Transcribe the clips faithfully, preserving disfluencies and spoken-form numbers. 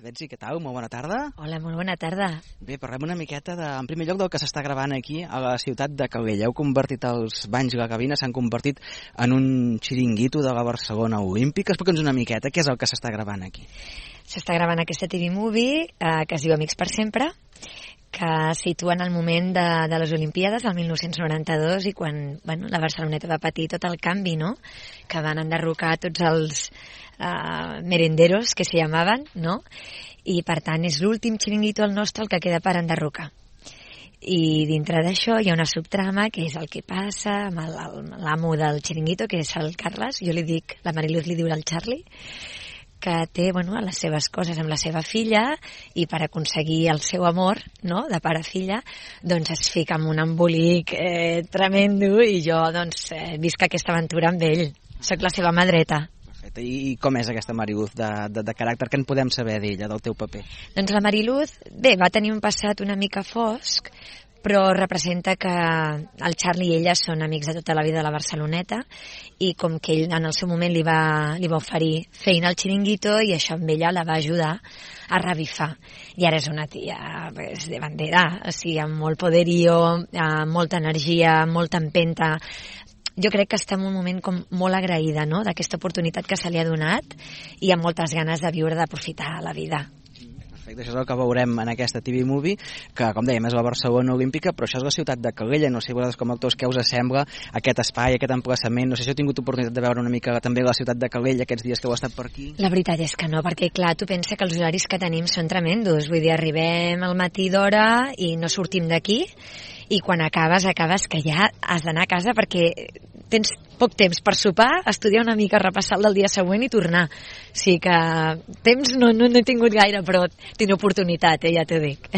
Betsy, què tal? Molt bona tarda. Hola, molt bona tarda. Bé, parlem una miqueta, de, en primer lloc, del que s'està gravant aquí a la ciutat de Calella. Heu convertit els banys i la cabina, s'han convertit en un xiringuito de la Barcelona Olímpica. Explica'ns una miqueta què és el que s'està gravant aquí. S'està gravant aquesta T V Movie eh, que es diu Amics per sempre, que situa en el moment de, de les Olimpíades, el mil nou-cents noranta-dos, i quan bueno, la Barceloneta va patir tot el canvi, no? Que van enderrocar tots els uh, merenderos, que s'hi llamaven, no? I, per tant, és l'últim xiringuito el nostre el que queda per enderrocar. I dintre d'això hi ha una subtrama, que és el que passa amb l'amo del xiringuito, que és el Carles, jo li dic, la Mariluz li diu el Charlie, que té bueno, les seves coses amb la seva filla i per aconseguir el seu amor, no?, de pare-filla, doncs es fica en un embolic eh, tremendo i jo doncs, eh, visc aquesta aventura amb ell. Soc la seva mà dreta. Perfecte. I com és aquesta Mariluz de, de, de caràcter? Què en podem saber d'ella, del teu paper? Doncs la Mariluz, bé, va tenir un passat una mica fosc, però representa que el Charlie i ella són amics de tota la vida de la Barceloneta i com que ell en el seu moment li va, li va oferir feina al xiringuito i això amb ella la va ajudar a revifar. I ara és una tia pues, de bandera, o sigui, amb molt poderío, amb molta energia, molta empenta. Jo crec que està en un moment com molt agraïda, no?, d'aquesta oportunitat que se li ha donat i amb moltes ganes de viure, d'aprofitar la vida. Això és el que veurem en aquesta T V Movie, que, com dèiem, és la Barcelona Olímpica, però això és la ciutat de Calella. No sé, vosaltres com a actors, què us sembla aquest espai, aquest emplaçament? No sé si heu tingut oportunitat de veure una mica també la ciutat de Calella aquests dies que heu estat per aquí. La veritat és que no, perquè, clar, tu pensa que els horaris que tenim són tremendos. Vull dir, arribem al matí d'hora i no sortim d'aquí, i quan acabes, acabes que ja has d'anar a casa perquè tens poc temps per sopar, estudiar una mica, repassar el del dia següent i tornar. O sigui que temps no, no, no he tingut gaire, però tinc oportunitat, eh, ja t'ho dic.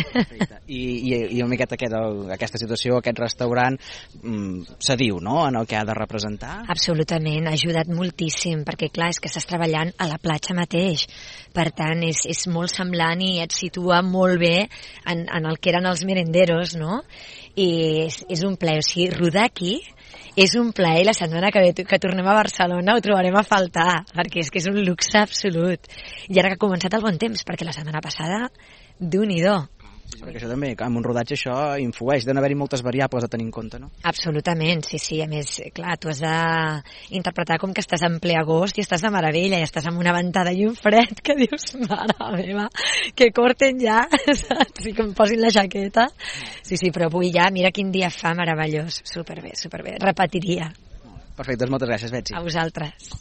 I, i, i una miqueta aquest, aquesta situació, aquest restaurant, mmm, se diu, no?, en el que ha de representar? Absolutament, ha ajudat moltíssim, perquè clar, és que estàs treballant a la platja mateix. Per tant, és, és molt semblant i et situa molt bé en, en el que eren els merenderos, no? I és, és un plaer, o sigui, rodar aquí és un plaer. La setmana que ve que tornem a Barcelona ho trobarem a faltar, perquè és que és un luxe absolut. I ara que ha començat el bon temps, perquè la setmana passada, Déu-n'hi-do. Sí, perquè això també, amb un rodatge això influeix, deuen haver-hi moltes variables a tenir en compte, no? Absolutament, sí, sí, a més, clar, tu has d'interpretar com que estàs en ple agost i estàs de meravella, i estàs amb una ventada i un fred que dius, mare meva, que corten ja, saps? I que em posin la jaqueta. Sí, sí, però avui ja, mira quin dia fa meravellós, superbé, superbé, repetiria. Perfecte, doncs moltes gràcies, Betsy. A vosaltres.